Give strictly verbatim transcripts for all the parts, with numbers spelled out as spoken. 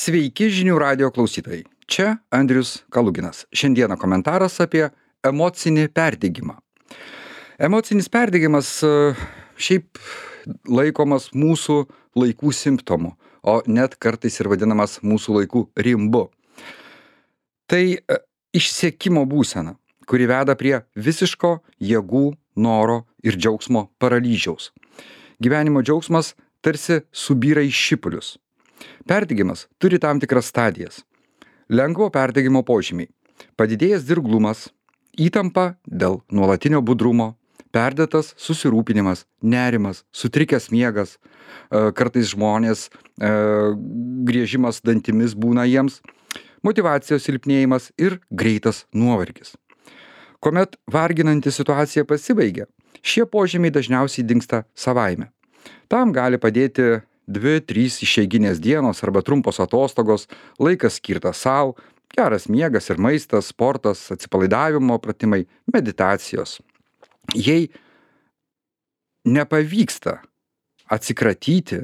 Sveiki žinių radio klausytojai. Čia Andrius Kaluginas. Šiandieną komentaras apie emocinį perdegimą. Emocinis perdegimas šiaip laikomas mūsų laikų simptomu, o net kartais ir vadinamas mūsų laikų rimbu. Tai išsekimo būsena, kuri veda prie visiško jėgų, noro ir džiaugsmo paralyžiaus. Gyvenimo džiaugsmas tarsi subyra į šipulius. Perdegimas turi tam tikras stadijas. Lengvo perdegimo požymiai. Padidėjęs dirglumas, įtampa dėl nuolatinio budrumo, perdėtas susirūpinimas, nerimas, sutrikęs miegas, kartais žmonės, griežimas dantimis būna jiems, motyvacijos silpnėjimas ir greitas nuovargis. Kuomet varginanti situacija pasibaigia, šie požymiai dažniausiai dingsta savaime. Tam gali padėti dvi, trys išeiginės dienos arba trumpos atostogos, laikas skirtas sau, geras miegas ir maistas, sportas, atsipalaidavimo pratimai, meditacijos. Jei nepavyksta atsikratyti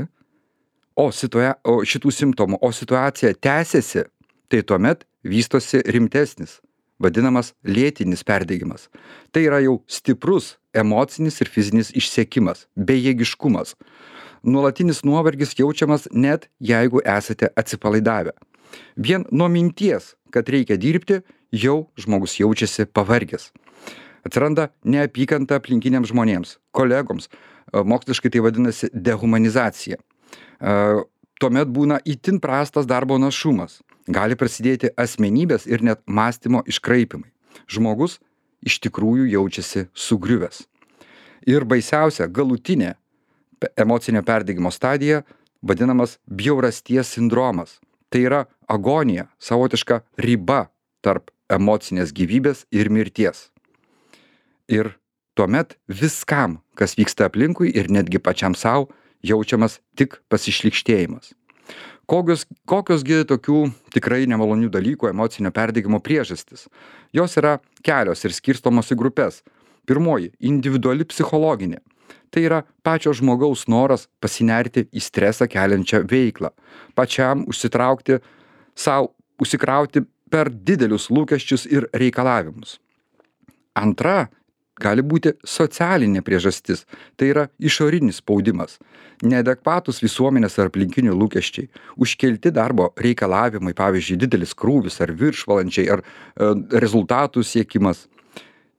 o, situa- o šitų simptomų, o situacija tęsiasi, tai tuomet vystosi rimtesnis, vadinamas lėtinis perdegimas. Tai yra jau stiprus emocinis ir fizinis išsekimas, bejėgiškumas. Nuolatinis nuovargis jaučiamas net jeigu esate atsipalaidavę. Vien nuo minties, kad reikia dirbti, jau žmogus jaučiasi pavargęs. Atsiranda neapykanta aplinkiniams žmonėms, kolegoms, moksliškai tai vadinasi dehumanizacija. Tuomet būna itin prastas darbo našumas. Gali prasidėti asmenybės ir net mąstymo iškraipimai. Žmogus iš tikrųjų jaučiasi sugriuvęs. Ir baisiausia, galutinė emocinio perdegimo stadija vadinamas bjaurasties sindromas. Tai yra agonija, savotiška riba tarp emocinės gyvybės ir mirties. Ir tuomet viskam, kas vyksta aplinkui ir netgi pačiam savo, jaučiamas tik pasišlykštėjimas. Kokios, kokiosgi tokių tikrai nemalonių dalykų emocinio perdegimo priežastis? Jos yra kelios ir skirstomos į grupės. Pirmoji – individuali psichologinė. Tai yra pačio žmogaus noras pasinerti į stresą keliančią veiklą, pačiam užsitraukti sau, užsikrauti per didelius lūkesčius ir reikalavimus. Antra gali būti socialinė priežastis, tai yra išorinis spaudimas, neadekvatus visuomenės ar aplinkinių lūkesčiai, užkelti darbo reikalavimai, pavyzdžiui, didelis krūvis ar viršvalandžiai ar e, rezultatų siekimas.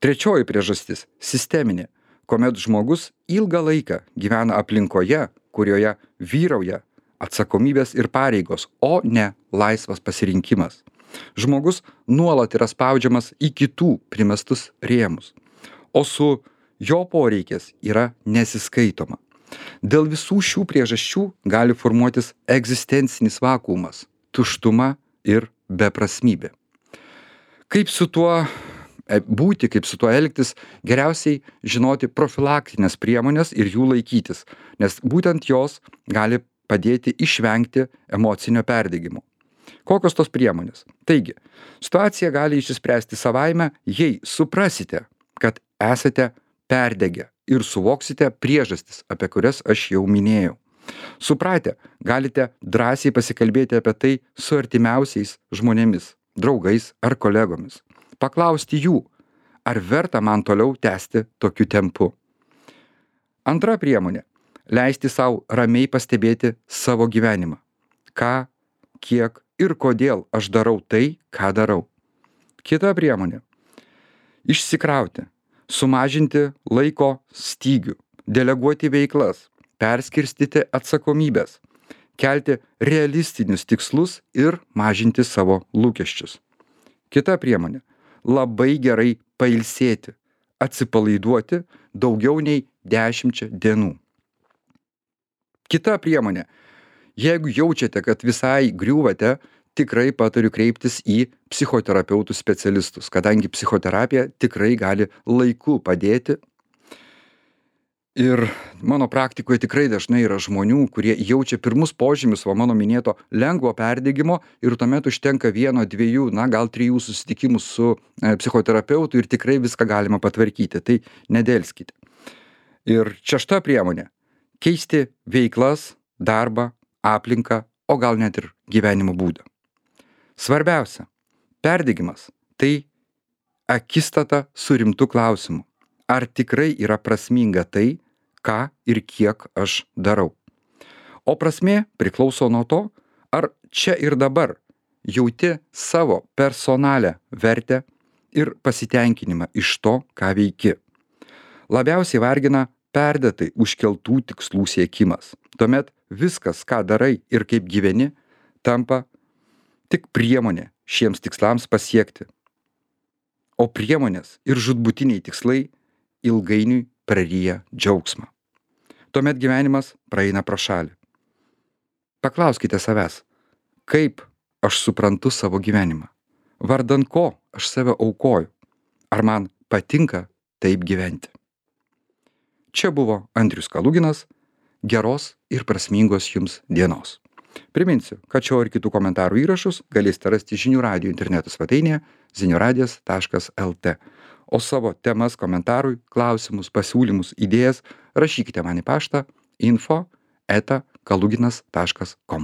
Trečioji priežastis – sisteminė, kuomet žmogus ilgą laiką gyvena aplinkoje, kurioje vyrauja atsakomybės ir pareigos, o ne laisvas pasirinkimas. Žmogus nuolat yra spaudžiamas į kitų primestus rėmus, o su jo poreikis yra nesiskaitoma. Dėl visų šių priežasčių gali formuotis egzistencinis vakuumas, tuštuma ir beprasmybė. Kaip su tuo būti, kaip su tuo elgtis, geriausiai žinoti profilaktinės priemonės ir jų laikytis, nes būtent jos gali padėti išvengti emocinio perdegimo. Kokios tos priemonės? Taigi, situacija gali išsispręsti savaime, jei suprasite, kad esate perdegę ir suvoksite priežastis, apie kurias aš jau minėjau. Supratę, galite drąsiai pasikalbėti apie tai su artimiausiais žmonėmis, draugais ar kolegomis. Paklausti jų, ar verta man toliau tęsti tokiu tempu. Antra priemonė – leisti sau ramiai pastebėti savo gyvenimą. Ką, kiek ir kodėl aš darau tai, ką darau. Kita priemonė – išsikrauti, sumažinti laiko stygių, deleguoti veiklas, perskirstyti atsakomybės, kelti realistinius tikslus ir mažinti savo lūkesčius. Kita priemonė – labai gerai pailsėti, atsipalaiduoti daugiau nei dešimčia dienų. Kita priemonė. Jeigu jaučiate, kad visai griūvate, tikrai patariu kreiptis į psichoterapeutų specialistus, kadangi psichoterapija tikrai gali laiku padėti. Ir mano praktikoje tikrai dažnai yra žmonių, kurie jaučia pirmus požymius va mano minėto lengvo perdegimo ir tuomet užtenka vieno, dviejų, na gal trijų susitikimų su e, psichoterapeutu ir tikrai viską galima patvarkyti. Tai nedelskite. Ir šešta priemonė – keisti veiklas, darbą, aplinką, o gal net ir gyvenimo būdą. Svarbiausia, perdegimas – tai akistata su rimtu klausimu. Ar tikrai yra prasminga tai, ką ir kiek aš darau? O prasmė priklauso nuo to, ar čia ir dabar jauti savo personalią vertę ir pasitenkinimą iš to, ką veiki. Labiausiai vargina perdėtai užkeltų tikslų siekimas. Tuomet viskas, ką darai ir kaip gyveni, tampa tik priemonė šiems tikslams pasiekti. O priemonės ir žūtbūtiniai tikslai ilgainiui praryja džiaugsmą. Tuomet gyvenimas praeina pro šalį. Paklauskite savęs, kaip aš suprantu savo gyvenimą? Vardan ko aš save aukoju? Ar man patinka taip gyventi? Čia buvo Andrius Kaluginas. Geros ir prasmingos jums dienos. Priminsiu, kad šio ir kitų komentarų įrašus galėsite rasti žinių radijo interneto svetainėje zinių radijas taškas el tė. O savo temas, komentarui, klausimus, pasiūlymus, idėjas rašykite man į paštą info eta kaluginas taškas kom.